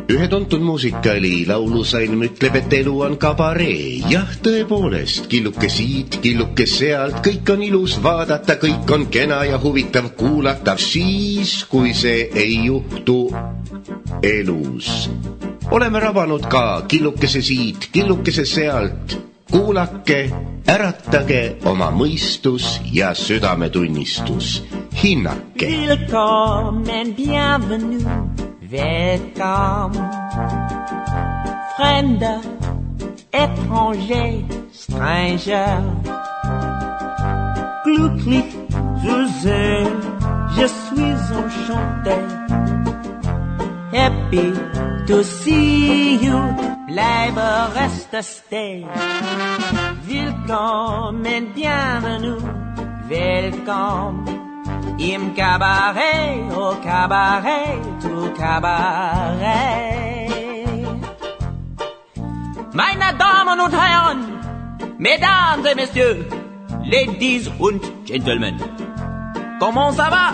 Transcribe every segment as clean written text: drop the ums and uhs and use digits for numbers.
Ühe tuntud muusikali laulusalm ütleb, et elu on kabaree. Jah, tõepoolest, killuke siit, killuke sealt, kõik on ilus vaadata, kõik on kena ja huvitav kuulatav siis, kui see ei juhtu elus. Oleme rabanud ka killukese siit, killukese sealt. Kuulake, äratage oma mõistus ja südametunnistus. Hinnake. Willkommen, bienvenue. Welcome, fremder, étranger, stranger. Glücklich zu sehen, je suis enchanté. Happy to see you, bleibe, reste, stay. Willkommen, bienvenue, welcome. Im Cabaret, au Cabaret, tout Cabaret. Meine Damen und Herren, Mesdames et Messieurs, Ladies und Gentlemen, comment ça va?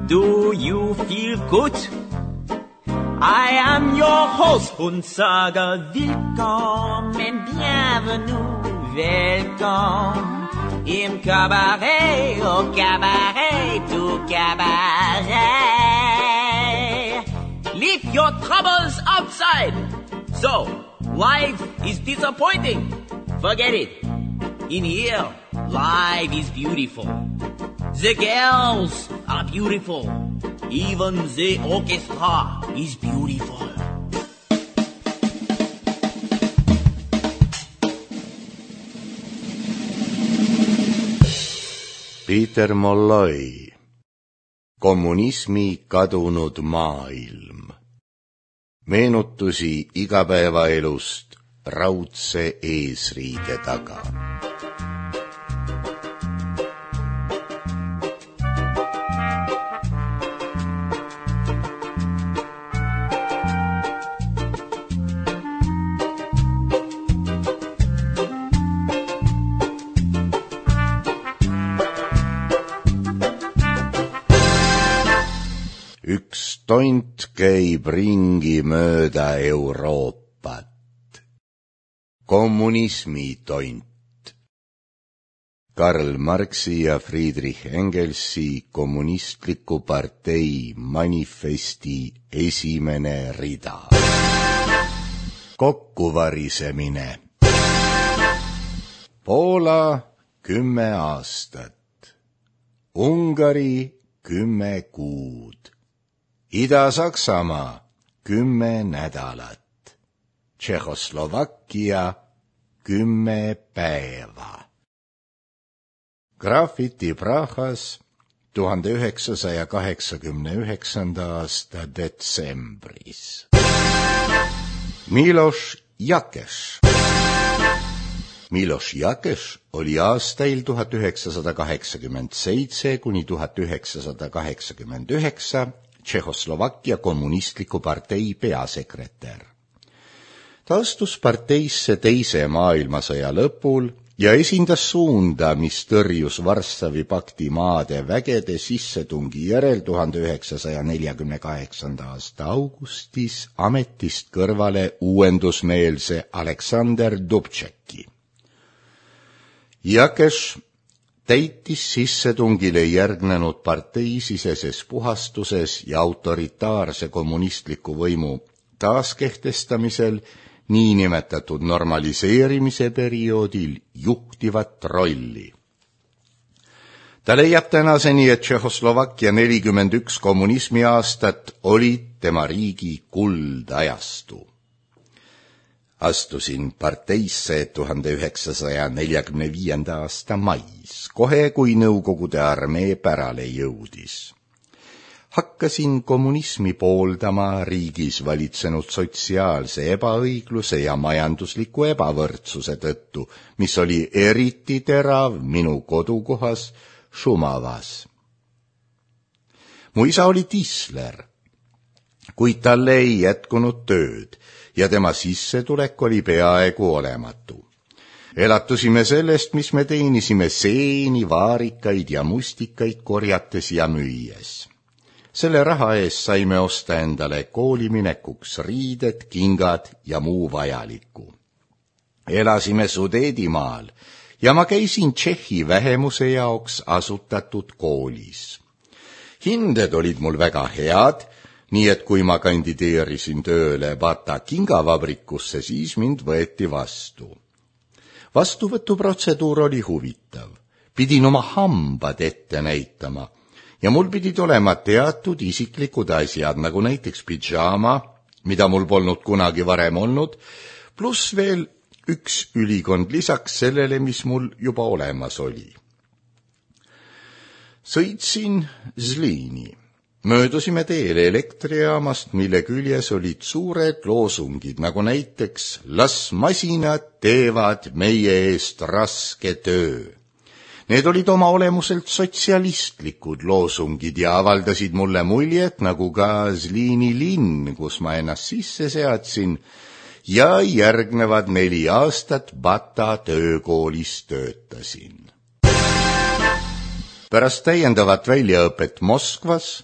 Do you feel good? I am your host und sage willkommen, bienvenue, welcome. Im Cabaret, au Cabaret, tout Cabaret. Leave your troubles outside. So, life is disappointing. Forget it. In here, life is beautiful. The girls are beautiful. Even the orchestra is beautiful. Peter Molloy, Kommunismi kadunud maailm. Meenutusi igapäevaelust raudse eesriide taga. Üks tont käib ringi mööda Euroopat. Kommunismi tont. Karl Marxi ja Friedrich Engelsi kommunistliku partei manifesti esimene rida. Kokkuvarisemine. Poola 10 aastat. Ungari 10 kuud. Ida-Saksamaa 10 nädalat, Tšehhoslovakkia 10 päeva. Graffiti Prahas 1989. aasta detsembris. Miloš Jakeš. Miloš Jakeš oli aastail 1987 kuni 1989 Tšehhoslovakkia kommunistliku partei peasekretär. Ta astus parteisse teise maailmasõja lõpul ja esindas suunda, mis tõrjus Varssavi pakti maade vägede sissetungi järel 1948. aasta augustis ametist kõrvale uuendusmeelse Aleksander Dubčeki. Jakeš täitis sissetungile järgnenud parteisiseses puhastuses ja autoritaarse kommunistliku võimu taaskehtestamisel niinimetatud normaliseerimise perioodil juhtivat rolli. Ta leiab tänaseni, et Tšehhoslovakkia 41 kommunismi aastat olid tema riigi kuldajastu. Astusin parteisse 1945. aasta mais, kohe kui Nõukogude armee pärale jõudis. Hakkasin kommunismi pooldama riigis valitsenud sotsiaalse ebaõigluse ja majandusliku ebavõrdsuse tõttu, mis oli eriti terav minu kodukohas Šumavas. Mu isa oli tisler, kuid talle ei jätkunud tööd ja tema sissetulek oli peaaegu olematu. Elatusime sellest, mis me teenisime seeni, vaarikaid ja mustikaid korjates ja müües. Selle raha eest saime osta endale kooliminekuks riided, kingad ja muu vajaliku. Elasime Sudeedimaal ja ma käisin Tšehhi vähemuse jaoks asutatud koolis. Hinded olid mul väga head, nii et kui ma kandideerisin tööle Bata kingavabrikusse, siis mind võeti vastu. Vastuvõtuprotseduur oli huvitav. Pidin oma hambad ette näitama ja mul pidid olema teatud isiklikud asjad, nagu näiteks pidžaama, mida mul polnud kunagi varem olnud, pluss veel üks ülikond lisaks sellele, mis mul juba olemas oli. Sõitsin Zliini. Möödusime teele elektrijaamast, mille küljes olid suured loosungid, nagu näiteks "Las masinad teevad meie eest raske töö". Need olid oma olemuselt sotsialistlikud loosungid ja avaldasid mulle muljet, nagu ka Zliini linn, kus ma ennast sisse seadsin, ja järgnevad 4 aastat Bata töökoolis töötasin. Pärast täiendavat väljaõpet Moskvas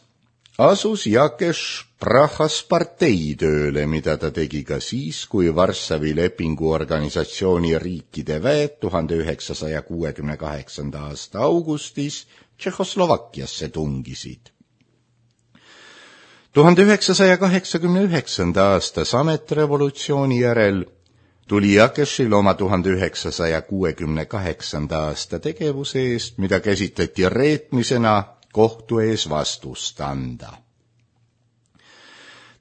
asus Jakeš Prahas parteitööle, mida ta tegi ka siis, kui Varssavi lepinguorganisatsiooni riikide väed 1968. aasta augustis Tšehhoslovakkiasse tungisid. 1989. aasta sametrevolutsiooni järel tuli Jakešil oma 1968. aasta tegevuse eest, mida käsitleti reetmisena, kohtu ees vastust anda.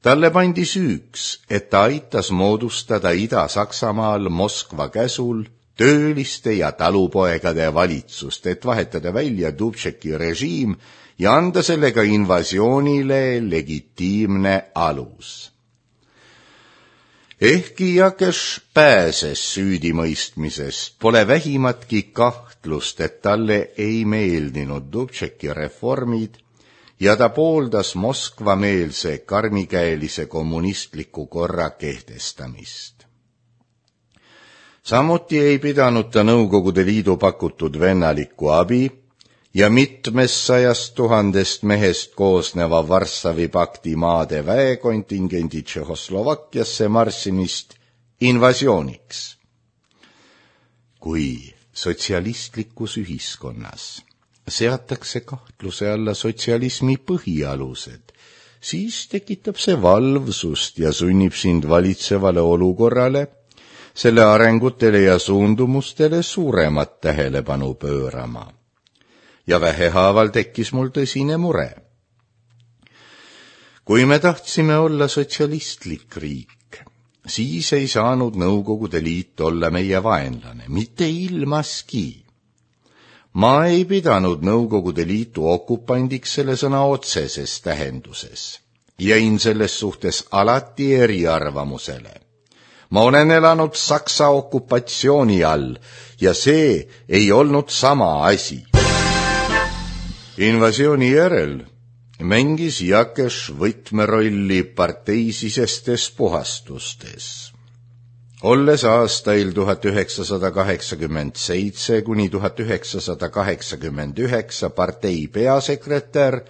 Talle pandi süüks, et ta aitas moodustada Ida-Saksamaal Moskva käsul tööliste ja talupoegade valitsust, et vahetada välja Dubčeki režiim ja anda sellega invasioonile legitiimne alus. Ehkki Jakeš pääses süüdimõistmisest, pole vähimatki kahtlust, et talle ei meeldinud Dubčeki reformid ja ta pooldas Moskva-meelse karmikäelise kommunistliku korra kehtestamist. Samuti ei pidanud ta Nõukogude Liidu pakutud vennalikku abi ja 200 000 mehest koosneva Varssavi pakti maade väekontingendi Tšehhoslovakkiasse marssimist invasiooniks. Kui sotsialistlikus ühiskonnas seatakse kahtluse alla sotsialismi põhialused, siis tekitab see valvsust ja sunnib sind valitsevale olukorrale, selle arengutele ja suundumustele suuremat tähelepanu pöörama. Ja vähehaaval tekkis mul tõsine mure. Kui me tahtsime olla sotsialistlik riik, siis ei saanud Nõukogude Liit olla meie vaenlane, mitte ilmaski. Ma ei pidanud Nõukogude Liitu okupandiks selle sõna otseses tähenduses. Jäin selles suhtes alati eriarvamusele. Ma olen elanud Saksa okupatsiooni all ja see ei olnud sama asi. Invasiooni järel mängis Jakeš võtmerolli parteisisestes puhastustes. Olles aastail 1987 kuni 1989 partei peasekretär,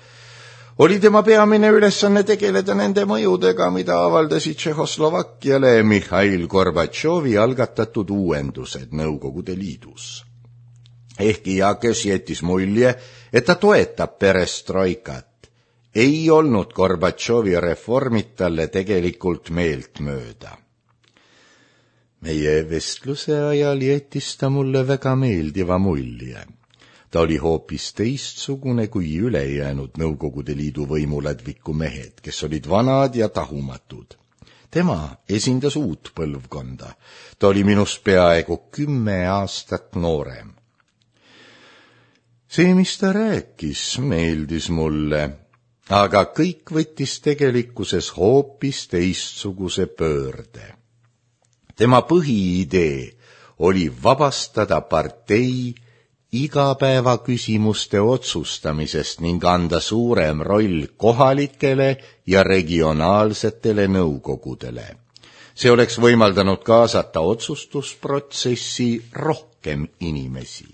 oli tema peamine ülesanne tegeleda nende mõjudega, mida avaldasid Tšehhoslovakkiale Mihhail Gorbatšovi algatatud uuendused Nõukogude Liidus. Ehkki Jakeš jättis mulje, et ta toetab perestroikat, ei olnud Gorbatšovi reformid talle tegelikult meeltmööda. Meie vestluse ajal jättis ta mulle väga meeldiva mulje. Ta oli hoopis teistsugune kui ülejäänud Nõukogude Liidu võimuladviku mehed, kes olid vanad ja tahumatud. Tema esindas uut põlvkonda. Ta oli minust peaaegu 10 aastat noorem. See, mis ta rääkis, meeldis mulle, aga kõik võttis tegelikkuses hoopis teistsuguse pöörde. Tema põhiidee oli vabastada partei igapäevaküsimuste otsustamisest ning anda suurem roll kohalikele ja regionaalsetele nõukogudele. See oleks võimaldanud kaasata otsustusprotsessi rohkem inimesi.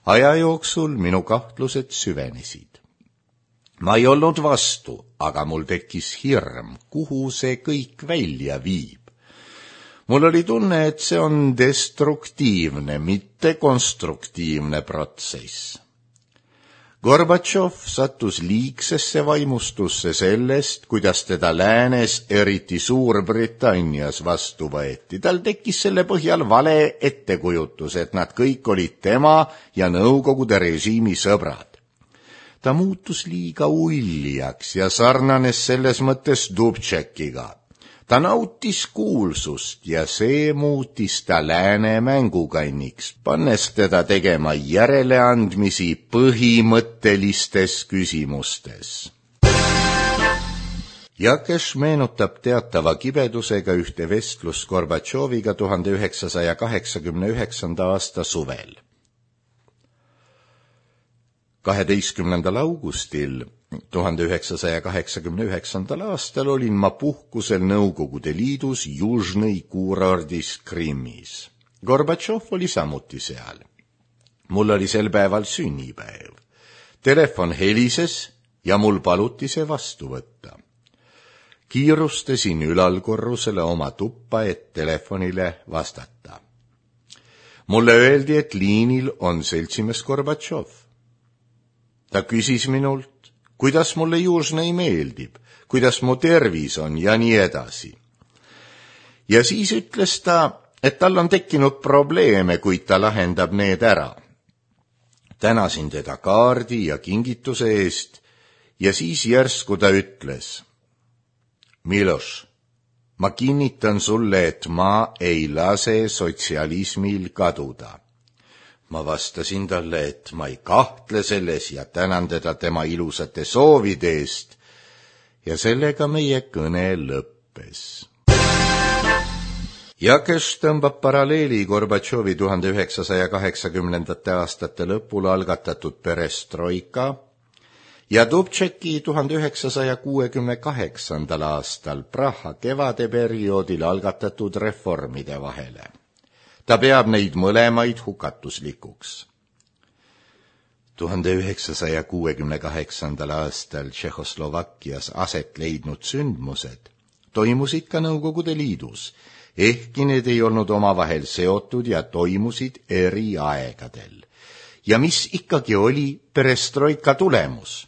Aja jooksul minu kahtlused süvenesid. Ma ei olnud vastu, aga mul tekkis hirm, kuhu see kõik välja viib. Mul oli tunne, et see on destruktiivne, mitte konstruktiivne protsess. Gorbatšov sattus liigsesse vaimustusse sellest, kuidas teda läänes, eriti Suurbritannias, vastu võeti. Tal tekkis selle põhjal vale ettekujutus, et nad kõik olid tema ja Nõukogude režiimi sõbrad. Ta muutus liiga uljaks ja sarnanes selles mõttes Dubčekiga. Ta nautis kuulsust ja see muutis ta lääne mängukanniks, pannes teda tegema järeleandmisi põhimõttelistes küsimustes. Jakeš meenutab teatava kibedusega ühte vestlust Gorbatšoviga 1989. aasta suvel. 12. augustil 1989. aastal olin ma puhkusel Nõukogude Liidus Južnõi kuurordis Krimmis. Gorbatšov oli samuti seal. Mul oli sel päeval sünnipäev. Telefon helises ja mul paluti see vastu võtta. Kiirustasin ülalkorrusele oma tuppa, et telefonile vastata. Mulle öeldi, et liinil on seltsimees Gorbatšov. Ta küsis minult, kuidas mulle Južnõi meeldib, kuidas mu tervis on ja nii edasi. Ja siis ütles ta, et tal on tekkinud probleeme, kuid ta lahendab need ära. Tänasin teda kaardi ja kingituse eest ja siis järsku ta ütles: Miloš, ma kinnitan sulle, et ma ei lase sotsialismil kaduda. Ma vastasin talle, et ma ei kahtle selles ja tänan teda tema ilusate soovide eest ja sellega meie kõne lõppes. Jakeš tõmbab paralleeli Gorbatšovi 1980. aastate lõpul algatatud perestroika ja Dubčeki 1968. aastal Praha kevadeperioodil algatatud reformide vahele. Ta peab neid mõlemaid hukatuslikuks. 1968. aastal Tšehhoslovakkias aset leidnud sündmused toimusid ka Nõukogude Liidus, ehkki need ei olnud omavahel seotud ja toimusid eri aegadel. Ja mis ikkagi oli perestroika tulemus?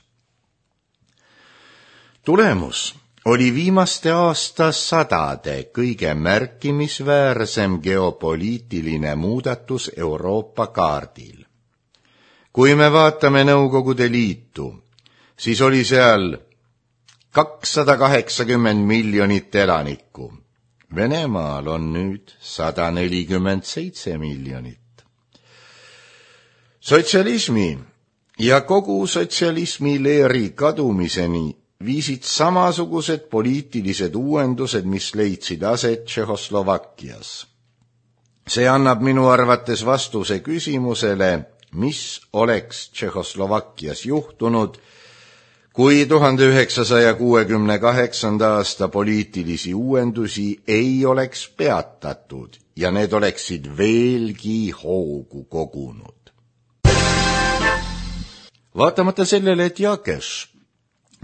Tulemus oli viimaste aastasadade kõige märkimisväärsem geopoliitiline muudatus Euroopa kaardil. Kui me vaatame Nõukogude Liitu, siis oli seal 280 miljonit elanikku. Venemaal on nüüd 147 miljonit. Sotsialismi ja kogu sotsialismi leeri kadumiseni viisid samasugused poliitilised uuendused, mis leidsid aset Tšehhoslovakkias. See annab minu arvates vastuse küsimusele, mis oleks Tšehhoslovakkias juhtunud, kui 1968. aasta poliitilisi uuendusi ei oleks peatatud ja need oleksid veelgi hoogu kogunud. Vaatamata sellele, et Jakeš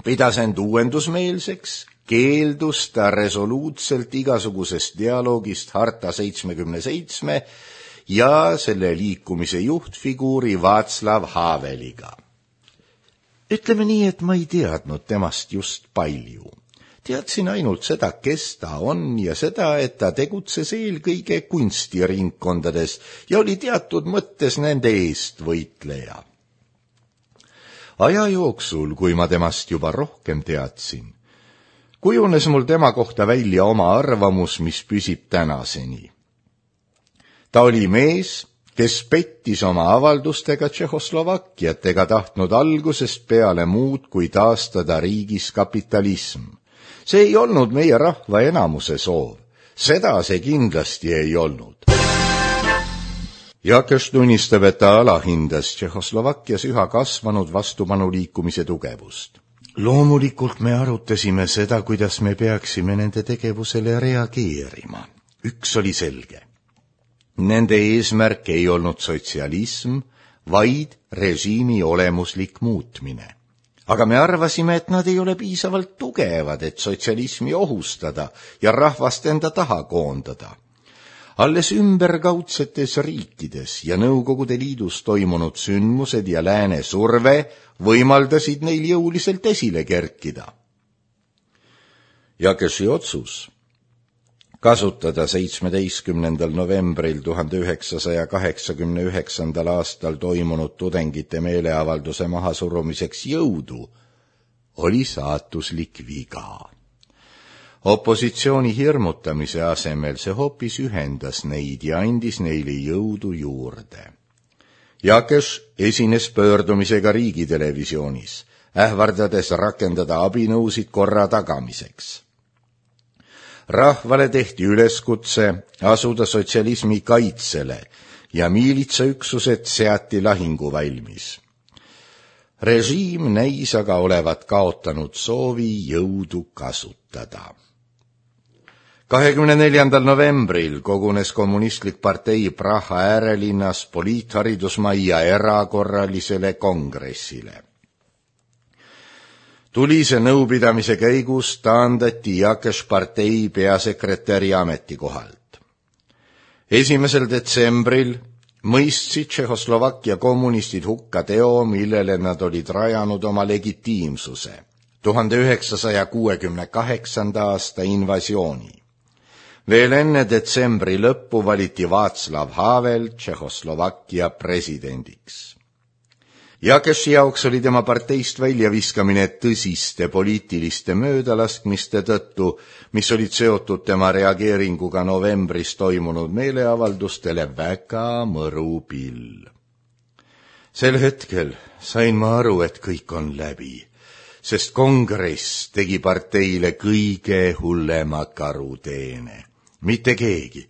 pidas end uuendusmeelseks, keeldus ta resoluutselt igasugusest dialoogist Harta 77 ja selle liikumise juhtfiguuri Václav Haveliga. Ütleme nii, et ma ei teadnud temast just palju. Teadsin ainult seda, kes ta on ja seda, et ta tegutses eelkõige kunstiringkondades ja oli teatud mõttes nende eest võitleja. Aja jooksul, kui ma temast juba rohkem teadsin, kujunes mul tema kohta välja oma arvamus, mis püsib tänaseni. Ta oli mees, kes pettis oma avaldustega Tšehhoslovakkiat ega tahtnud algusest peale muud kui taastada riigis kapitalism. See ei olnud meie rahva enamuse soov. Seda see kindlasti ei olnud. Jakeš tunnistab, et ta alahindas Tšehhoslovakkias üha kasvanud vastupanuliikumise tugevust. Loomulikult me arutasime seda, kuidas me peaksime nende tegevusele reageerima. Üks oli selge. Nende eesmärk ei olnud sotsialism, vaid režiimi olemuslik muutmine. aga me arvasime, et nad ei ole piisavalt tugevad, et sotsialismi ohustada ja rahvast enda taha koondada. Alles ümberkaudsetes riikides ja Nõukogude Liidus toimunud sündmused ja lääne surve võimaldasid neil jõuliselt esile kerkida. Jakeši otsus kasutada 17. novembril 1989. aastal toimunud tudengite meeleavalduse mahasurumiseks jõudu oli saatuslik viga. Opositsiooni hirmutamise asemel see hoopis ühendas neid ja andis neile jõudu juurde. Jakeš esines pöördumisega riigitelevisioonis, ähvardades rakendada abinõusid korra tagamiseks. Rahvale tehti üleskutse asuda sotsialismi kaitsele ja miilitsaüksused seati lahinguvalmis. Režiim näis aga olevat kaotanud soovi jõudu kasutada. 24. novembril kogunes kommunistlik partei Praha äärelinnas poliitharidusmajja erakorralisele kongressile. Tulise nõupidamise käigus taandati Jakeš partei peasekretäri ametikohalt. 1. detsembril mõistsid Tšehhoslovakkia kommunistid hukka teo, millele nad olid rajanud oma legitiimsuse, 1968. aasta invasiooni. Veel enne detsembri lõppu valiti Václav Havel Tšehhoslovakkia presidendiks. Jakeši jaoks oli tema parteist väljaviskamine tõsiste poliitiliste möödalaskmiste tõttu, mis olid seotud tema reageeringuga novembris toimunud meeleavaldustele, väga mõru pill. Sel hetkel sain ma aru, et kõik on läbi, sest kongress tegi parteile kõige hullema karuteene. Mitte keegi,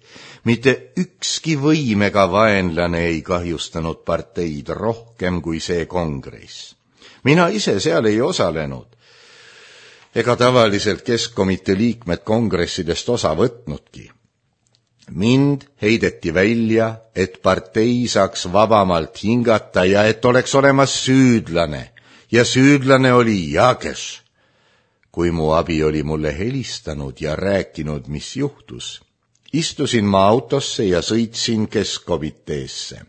mitte ükski võim ega vaenlane ei kahjustanud parteid rohkem kui see kongress. Mina ise seal ei osalenud, ega tavaliselt keskkomitee liikmed kongressidest osa võtnudki. Mind heideti välja, et partei saaks vabamalt hingata ja et oleks olemas süüdlane, ja süüdlane oli Jakeš. Kui mu abi oli mulle helistanud ja rääkinud, mis juhtus, istusin ma autosse ja sõitsin keskkomiteesse.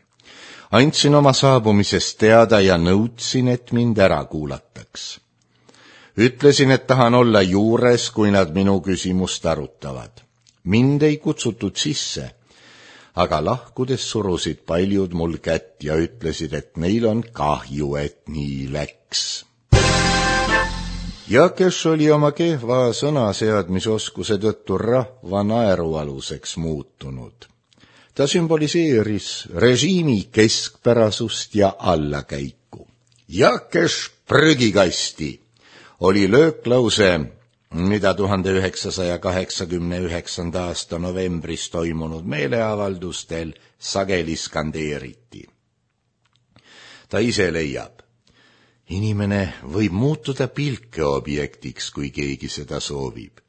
Andsin oma saabumisest teada ja nõudsin, et mind ära kuulataks. Ütlesin, et tahan olla juures, kui nad minu küsimust arutavad. Mind ei kutsutud sisse, aga lahkudes surusid paljud mul kätt ja ütlesid, et neil on kahju, et nii läks. Jakeš oli oma kehva sõnaseadmisoskuse tõttu rahva naerualuseks muutunud. Ta sümboliseeris režiimi keskpärasust ja allakäiku. Jakeš prügikasti oli lööklause, mida 1989. aasta novembris toimunud meeleavaldustel sageli skandeeriti. Ta ise leiab, inimene võib muutuda pilkeobjektiks, kui keegi seda soovib.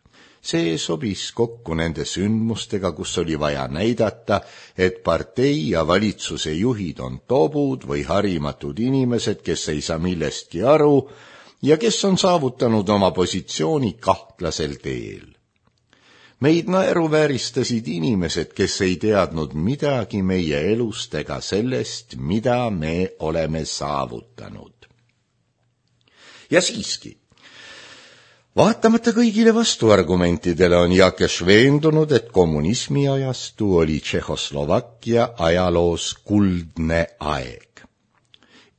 See sobis kokku nende sündmustega, kus oli vaja näidata, et partei ja valitsuse juhid on tobud või harimatud inimesed, kes ei saa millestki aru ja kes on saavutanud oma positsiooni kahtlasel teel. Meid naeruvääristasid inimesed, kes ei teadnud midagi meie elust ega sellest, mida me oleme saavutanud. Ja siiski, vaatamata kõigile vastuargumentidele on Jakeš veendunud, et kommunismi ajastu oli Tšehhoslovakkia ajaloos kuldne aeg.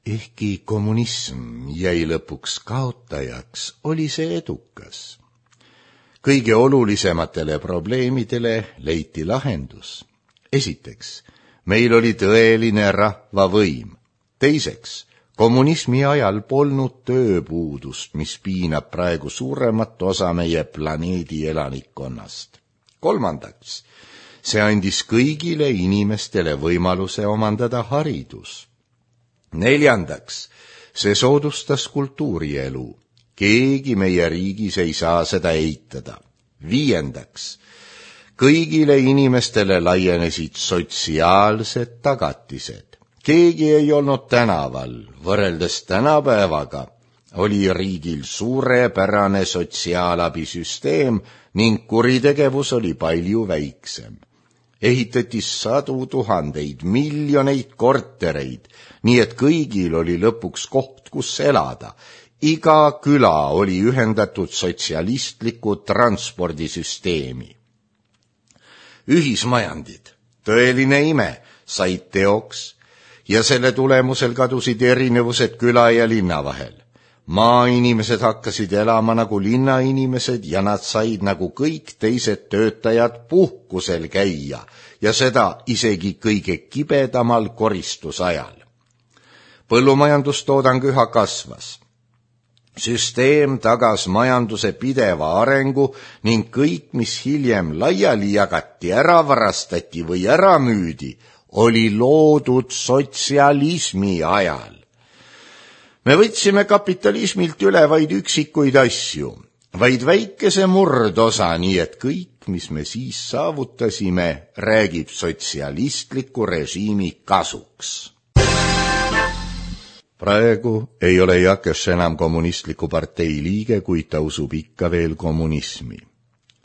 Ehkki kommunism jäi lõpuks kaotajaks, oli see edukas. Kõige olulisematele probleemidele leiti lahendus. Esiteks, meil oli tõeline rahvavõim. Teiseks, kommunismi ajal polnud tööpuudust, mis piinab praegu suuremat osa meie planeedi elanikkonnast. Kolmandaks, see andis kõigile inimestele võimaluse omandada haridus. Neljandaks, see soodustas kultuurielu. Keegi meie riigis ei saa seda eitada. Viiendaks, kõigile inimestele laienesid sotsiaalsed tagatised. Keegi ei olnud tänaval, võrreldes tänapäevaga oli riigil suurepärane sotsiaalabisüsteem ning kuritegevus oli palju väiksem. Ehitati sadu tuhandeid, miljoneid kortereid, nii et kõigil oli lõpuks koht, kus elada. Iga küla oli ühendatud sotsialistliku transpordisüsteemi. Ühismajandid, tõeline ime, said teoks ja selle tulemusel kadusid erinevused küla ja linna vahel. Maainimesed hakkasid elama nagu linnainimesed ja nad said nagu kõik teised töötajad puhkusel käia ja seda isegi kõige kibedamal koristusajal. Põllumajandustoodang üha kasvas. Süsteem tagas majanduse pideva arengu ning kõik, mis hiljem laiali jagati, ära varastati või ära müüdi, oli loodud sotsialismi ajal. Me võtsime kapitalismilt üle vaid üksikuid asju, vaid väikese murdosa, nii et kõik, mis me siis saavutasime, räägib sotsialistliku režiimi kasuks. Praegu ei ole Jakeš enam kommunistliku partei liige, kuid ta usub ikka veel kommunismi.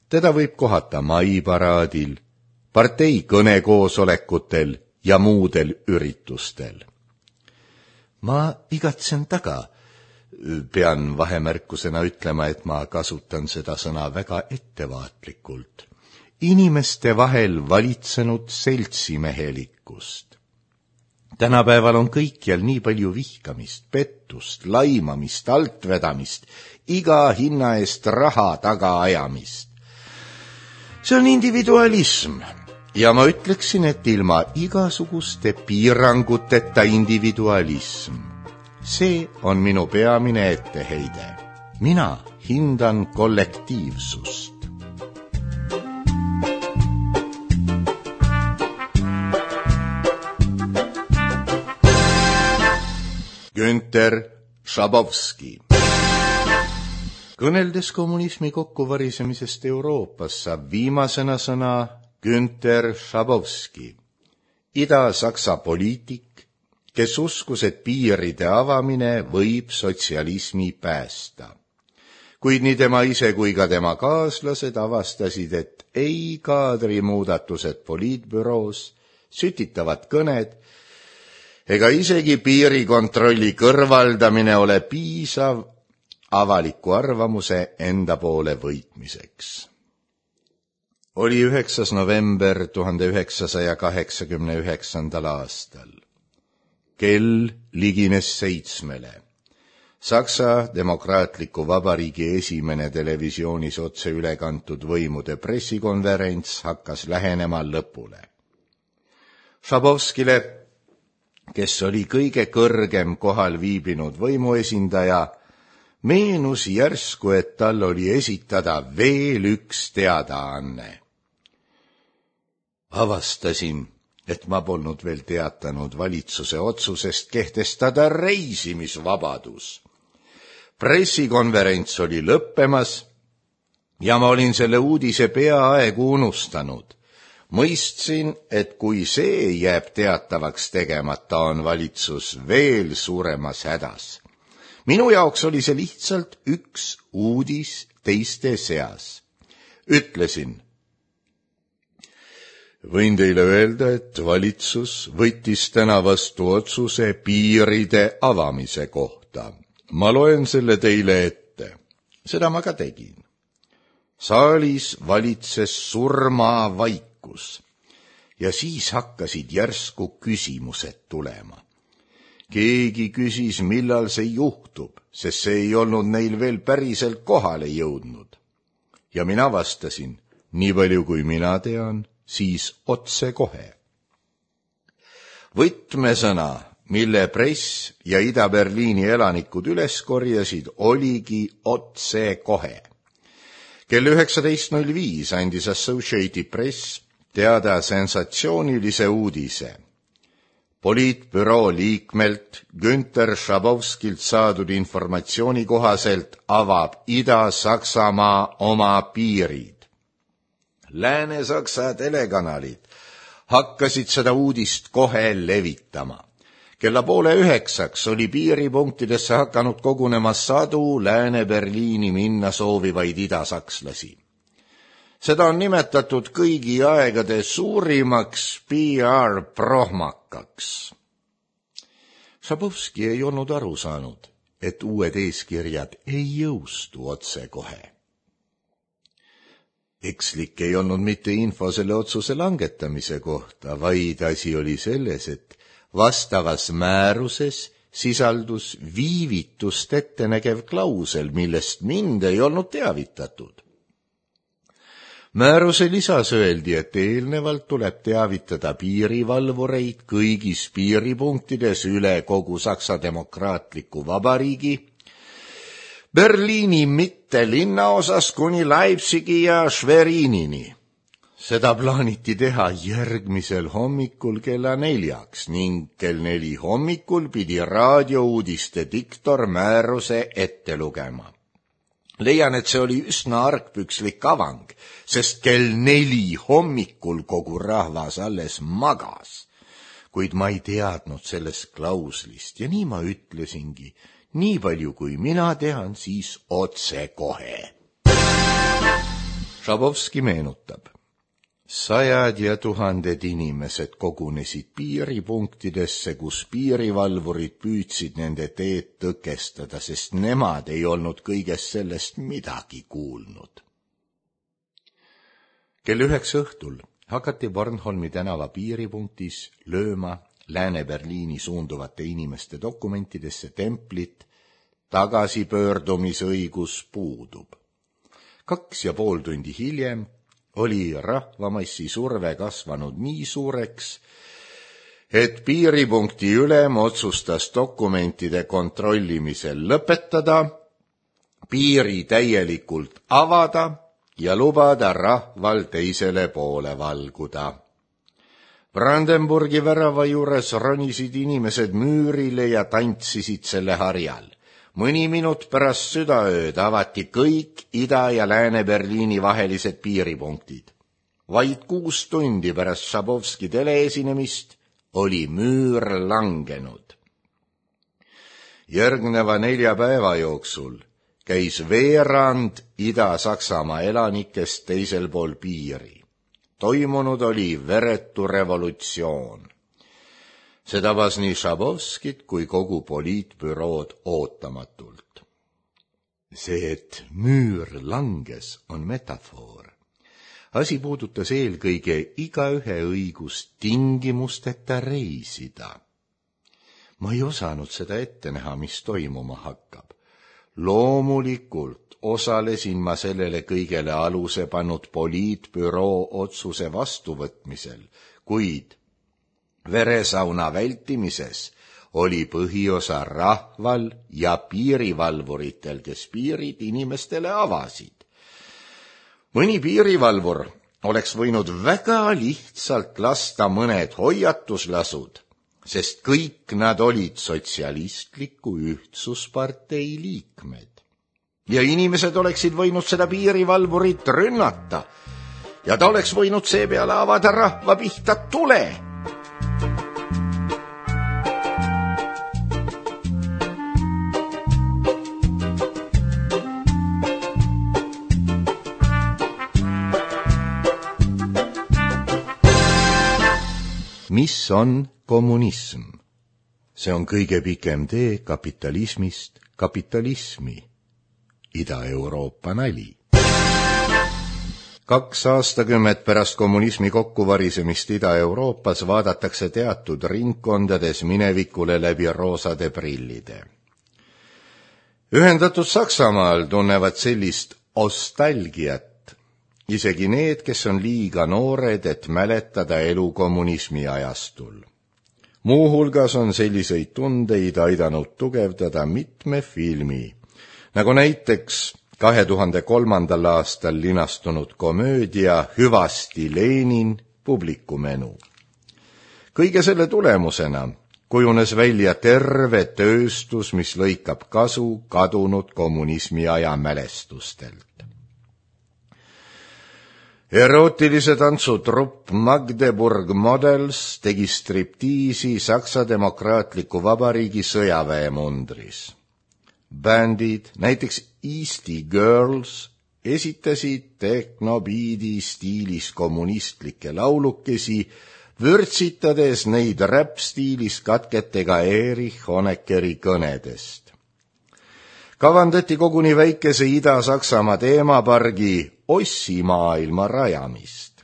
Teda võib kohata maiparaadil, partei kõnekoosolekutel ja muudel üritustel. Ma igatsen taga. Pean vahemärkusena ütlema, et ma kasutan seda sõna väga ettevaatlikult. Inimeste vahel valitsenud seltsimehelikkust. Tänapäeval on kõikjal nii palju vihkamist, pettust, laimamist, altvedamist, iga hinna eest raha taga ajamist. See on individualism. Ja ma ütleksin, et ilma igasuguste piiranguteta individualism. See on minu peamine etteheide. Mina hindan kollektiivsust. Günter Schabowski. Kõneldes kommunismi kokkuvarisemisest Euroopas saab viimasena sõna Günter Schabowski, Ida-Saksa poliitik, kes uskus, et piiride avamine võib sotsialismi päästa. Kuid nii tema ise kui ka tema kaaslased avastasid, et ei kaadrimuudatused poliitbüroos, sütitavad kõned ega isegi piirikontrolli kõrvaldamine ole piisav avaliku arvamuse enda poole võitmiseks. Oli 9. november 1989. aastal. Kell ligines 7. Saksa Demokraatliku Vabariigi esimene televisioonis otse üle kantud võimude pressikonverents hakkas lähenema lõpule. Schabowskile, kes oli kõige kõrgem kohal viibinud võimuesindaja, meenus järsku, et tal oli esitada veel üks teadaanne. Avastasin, et ma polnud veel teatanud valitsuse otsusest kehtestada reisimisvabadus. Pressikonverents oli lõppemas ja ma olin selle uudise peaaegu unustanud. Mõistsin, et kui see jääb teatavaks tegemata, on valitsus veel suuremas hädas. Minu jaoks oli see lihtsalt üks uudis teiste seas. Ütlesin, võin teile öelda, et valitsus võttis täna vastu otsuse piiride avamise kohta. Ma loen selle teile ette. Seda ma ka tegin. Saalis valitses surmavaikus ja siis hakkasid järsku küsimused tulema. Keegi küsis, millal see juhtub, sest see ei olnud neil veel päriselt kohale jõudnud. Ja mina vastasin, nii palju kui mina tean, siis otse kohe. Võtmesõna, mille press ja Ida-Berliini elanikud üles korjasid, oligi otse kohe. Kell 19.05 andis Associated Press teada sensatsioonilise uudise. Poliitbüroo liikmelt Günter Schabowskilt saadud informatsiooni kohaselt avab Ida-Saksamaa oma piirid. Lääne-Saksa telekanalid hakkasid seda uudist kohe levitama. Kella 8:30 oli piiripunktidesse hakanud kogunema sadu Lääne-Berliini minna soovivaid idasakslasi. Seda on nimetatud kõigi aegade suurimaks PR-prohmakaks. Šabovski ei olnud aru saanud, et uued eeskirjad ei jõustu otsekohe. Ekslik ei olnud mitte info selle otsuse langetamise kohta, vaid asi oli selles, et vastavas määruses sisaldus viivitust ettenägev klausel, millest mind ei olnud teavitatud. Määruse lisas öeldi, et eelnevalt tuleb teavitada piirivalvureid kõigis piiripunktides üle kogu Saksa Demokraatliku Vabariigi, Berliini mitte linnaosas kuni Leipzigi ja Schwerinini. Seda plaaniti teha järgmisel hommikul kella 4 ning kell 4 hommikul pidi raadiouudiste diktor määruse ette lugema. Leian, et see oli üsna argpükslik avang, sest kell 4 hommikul kogu rahvas alles magas. Kuid ma ei teadnud sellest klauslist ja nii ma ütlesingi, nii palju kui mina tean, siis otsekohe. Šabovski meenutab. 100 ja 1000 inimesed kogunesid piiripunktidesse, kus piirivalvurid püüdsid nende teed tõkestada, sest nemad ei olnud kõigest sellest midagi kuulnud. Kell 9 õhtul hakati Bornholmi tänava piiripunktis lööma Lääne-Berliini suunduvate inimeste dokumentidesse templit tagasipöördumisõigus puudub. 2,5 tundi hiljem oli rahvamassi surve kasvanud nii suureks, et piiripunkti ülem otsustas dokumentide kontrollimisel lõpetada, piiri täielikult avada ja lubada rahval teisele poole valguda. Brandenburgi värava juures ronisid inimesed müürile ja tantsisid selle harjal. Mõni minut pärast südaööd avati kõik Ida- ja Lääne-Berliini vahelised piiripunktid. Vaid 6 tundi pärast Šabovski teleesinemist oli müür langenud. Järgneva 4 päeva jooksul käis veerand Ida-Saksamaa elanikest teisel pool piiri. Toimunud oli veretu revolutsioon. See tabas nii Šabovskit kui kogu poliitbürood ootamatult. See, et müür langes, on metafoor. Asi puudutas eelkõige igaühe õigust tingimusteta reisida. Ma ei osanud seda ette näha, mis toimuma hakkab. Loomulikult osalesin ma sellele kõigele aluse pannud poliitbüroo otsuse vastuvõtmisel, kuid veresauna vältimises oli põhiosa rahval ja piirivalvuritel, kes piirid inimestele avasid. Mõni piirivalvur oleks võinud väga lihtsalt lasta mõned hoiatuslasud, sest kõik nad olid sotsialistliku ühtsuspartei liikmed. Ja inimesed oleksid võinud seda piirivalvurit rünnata ja ta oleks võinud seepeale avada rahva pihta tule. Mis on kommunism? See on kõige pikem tee kapitalismist kapitalismi. Ida-Euroopa nali. 2 aastakümmet pärast kommunismi kokkuvarisemist Ida-Euroopas vaadatakse teatud ringkondades minevikule läbi roosade prillide. Ühendatud Saksamaal tunnevad sellist ostalgiat isegi need, kes on liiga noored, et mäletada elu kommunismi ajastul. Muuhulgas on selliseid tundeid aidanud tugevdada mitme filmi, nagu näiteks 2003. aastal linastunud komöödia Hüvasti Lenin publikumenu. Kõige selle tulemusena kujunes välja terve tööstus, mis lõikab kasu kadunud kommunismi aja mälestustelt. Erootilise tantsutrupp Magdeburg Models tegi striptiisi Saksa Demokraatliku Vabariigi sõjaväemundris. Bändid, näiteks Eesti Girls, esitasid tehnobiidi stiilis kommunistlikke laulukesi, vürtsitades neid räppstiilis katketega Erich Honeckeri kõnedest. Kavandati koguni väikese Ida-Saksamaa teemapargi Ossimaailma rajamist.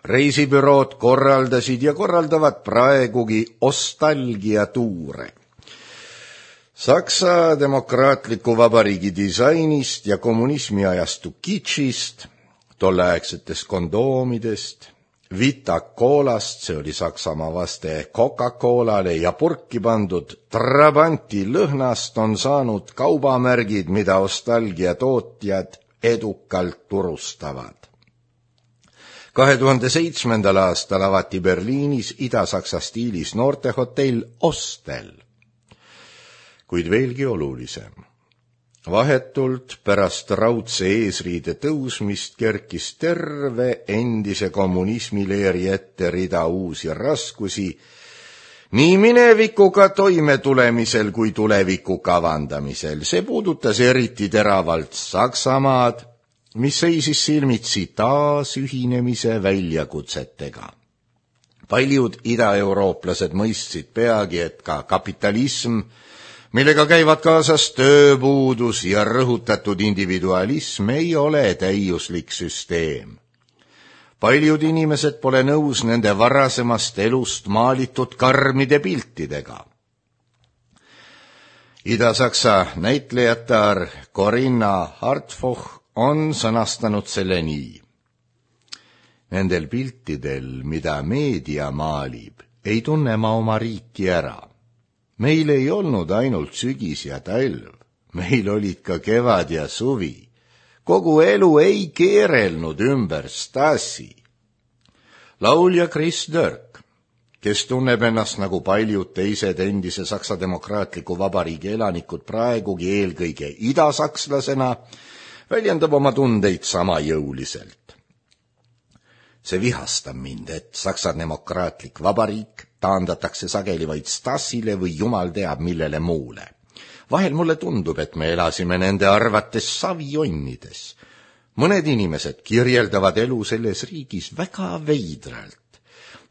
Reisibürood korraldasid ja korraldavad praegugi ostalgiatuure. Saksa Demokraatliku Vabariigi disainist ja kommunismi ajastu kitschist, tolleaegsetest kondoomidest, Vita-Coolast, see oli Saksamaa vaste Coca-Colale, ja purki pandud Trabanti lõhnast on saanud kaubamärgid, mida ostalgia tootjad edukalt turustavad. 2007. aastal avati Berliinis Ida-Saksa stiilis noortehotell Ostel. Kuid veelgi olulisem. Vahetult pärast raudse eesriide tõusmist kerkis terve endise kommunismileeri ette rida uusi raskusi nii minevikuga toimetulemisel kui tuleviku kavandamisel. See puudutas eriti teravalt Saksamaad, mis seisis silmitsi taasühinemise väljakutsetega. Paljud idaeurooplased mõistsid peagi, et ka kapitalism, millega käivad kaasas tööpuudus ja rõhutatud individualism, ei ole täiuslik süsteem. Paljud inimesed pole nõus nende varasemast elust maalitud karmide piltidega. Ida-Saksa näitlejatar Corinna Hartfoch on sõnastanud selle nii. Nendel piltidel, mida meedia maalib, ei tunne ma oma riiki ära. Meil ei olnud ainult sügis ja talv, meil olid ka kevad ja suvi. Kogu elu ei keerelnud ümber Stasi. Laulja Chris Dörk, kes tunneb ennast nagu paljud teised endise Saksa Demokraatliku Vabariigi elanikud praegugi eelkõige idasakslasena, väljendab oma tundeid sama jõuliselt. See vihastab mind, et Saksa Demokraatlik Vabariik taandatakse sageli vaid Stasile või jumal teab millele muule. Vahel mulle tundub, et me elasime nende arvates savijonnides. Mõned inimesed kirjeldavad elu selles riigis väga veidralt.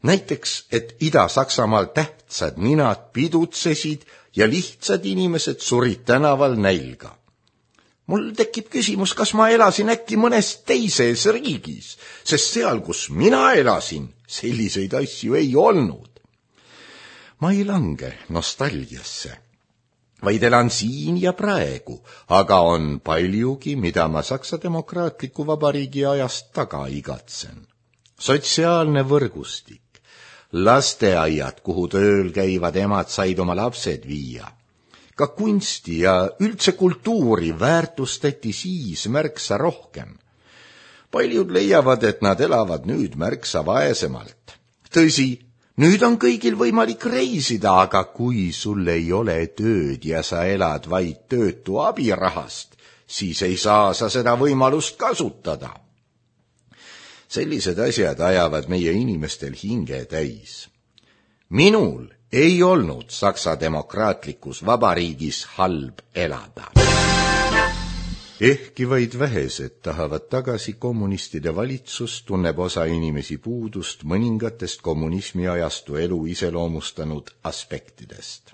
Näiteks, et Ida-Saksamaal tähtsad ninad pidutsesid ja lihtsad inimesed surid tänaval nälga. Mul tekib küsimus, kas ma elasin äkki mõnes teises riigis, sest seal, kus mina elasin, selliseid asju ei olnud. Ma ei lange nostalgiasse, vaid elan siin ja praegu, aga on paljugi, mida ma Saksa Demokraatliku Vabariigi ajast taga igatsen. Sotsiaalne võrgustik, lasteaiad, kuhu tööl käivad emad said oma lapsed viia. Ka kunsti ja üldse kultuuri väärtustati siis märksa rohkem. Paljud leiavad, et nad elavad nüüd märksa vaesemalt. Tõsi, nüüd on kõigil võimalik reisida, aga kui sul ei ole tööd ja sa elad vaid töötu abirahast, siis ei saa sa seda võimalust kasutada. Sellised asjad ajavad meie inimestel hinge täis. Minul ei olnud Saksa Demokraatlikus Vabariigis halb elada. Ehkki vaid vähesed tahavad tagasi kommunistide valitsus, tunneb osa inimesi puudust mõningatest kommunismi ajastu elu iseloomustanud aspektidest.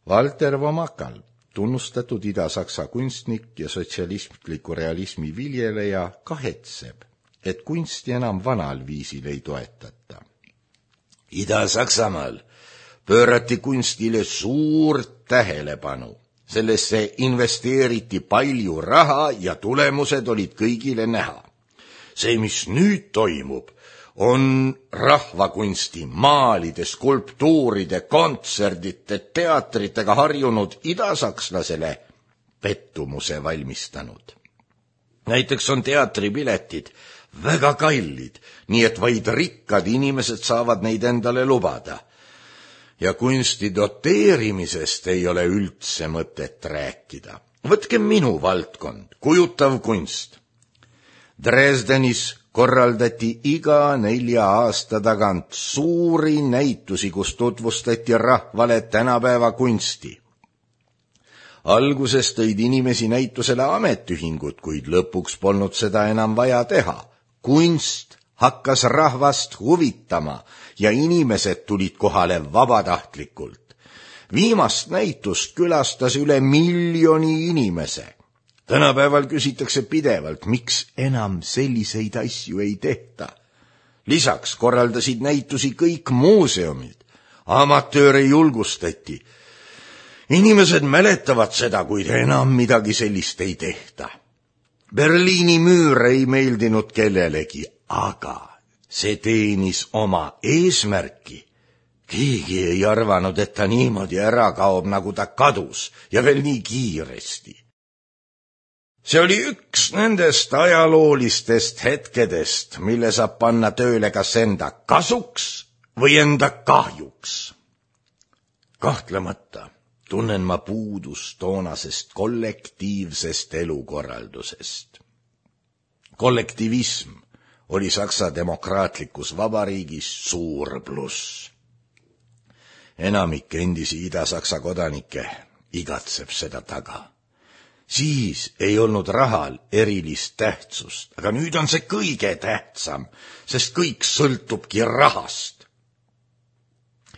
Walter Vomakal, tunnustatud Ida-Saksa kunstnik ja sotsialistliku realismi viljeleja, kahetseb, et kunsti enam vanal viisil ei toetata. Ida-Saksamaal pöörati kunstile suurt tähelepanu. Sellesse investeeriti palju raha ja tulemused olid kõigile näha. See, mis nüüd toimub, on rahvakunsti, maalide, skulptuuride, kontserdite, teatritega harjunud idasakslasele pettumuse valmistanud. Näiteks on teatripiletid väga kallid, nii et vaid rikkad inimesed saavad neid endale lubada. Ja kunsti doteerimisest ei ole üldse mõtet rääkida. Võtke minu valdkond, kujutav kunst. Dresdenis korraldati iga 4 aasta tagant suuri näitusi, kus tutvustati rahvale tänapäeva kunsti. Alguses tõid inimesi näitusele ametiühingud, kuid lõpuks polnud seda enam vaja teha. Kunst hakkas rahvast huvitama ja inimesed tulid kohale vabatahtlikult. Viimast näitust külastas üle 1 miljoni inimese. Tänapäeval küsitakse pidevalt, miks enam selliseid asju ei tehta. Lisaks korraldasid näitusi kõik muuseumid. Amatööre julgustati. Inimesed mäletavad seda, kuid enam midagi sellist ei tehta. Berliini müür ei meeldinud kellelegi, aga see teenis oma eesmärki. Keegi ei arvanud, et ta niimoodi ära kaob, nagu ta kadus, ja veel nii kiiresti. See oli üks nendest ajaloolistest hetkedest, mille saab panna tööle kas enda kasuks või enda kahjuks. Kahtlemata tunnen ma puudust toonasest kollektiivsest elukorraldusest. Kollektivism oli Saksa demokraatlikus vabariigis suur pluss. Enamik endisi Ida-Saksa kodanikke igatseb seda taga. Siis ei olnud rahal erilist tähtsust, aga nüüd on see kõige tähtsam, sest kõik sõltubki rahast.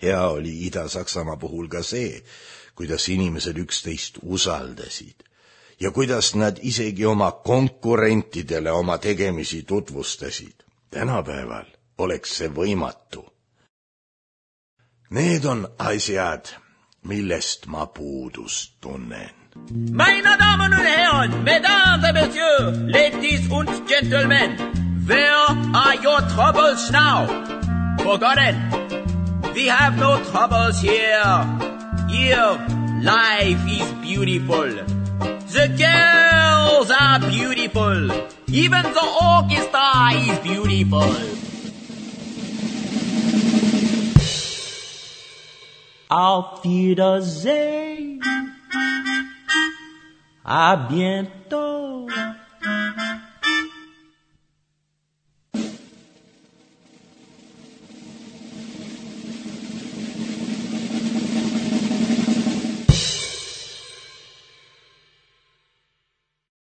Hea oli Ida-Saksamaa puhul ka see, kuidas inimesed üksteist usaldasid ja kuidas nad isegi oma konkurentidele oma tegemisi tutvustasid. Tänapäeval oleks see võimatu. Need on asjad, millest ma puudust tunnen. Meine Damen und Herren, Mesdames et Messieurs, Ladies und Gentlemen, where are your troubles now? Forgotten. We have no troubles here. Here, life is beautiful. The girls are beautiful. Even the orchestra is beautiful. Auf Wiedersehen. À bientôt.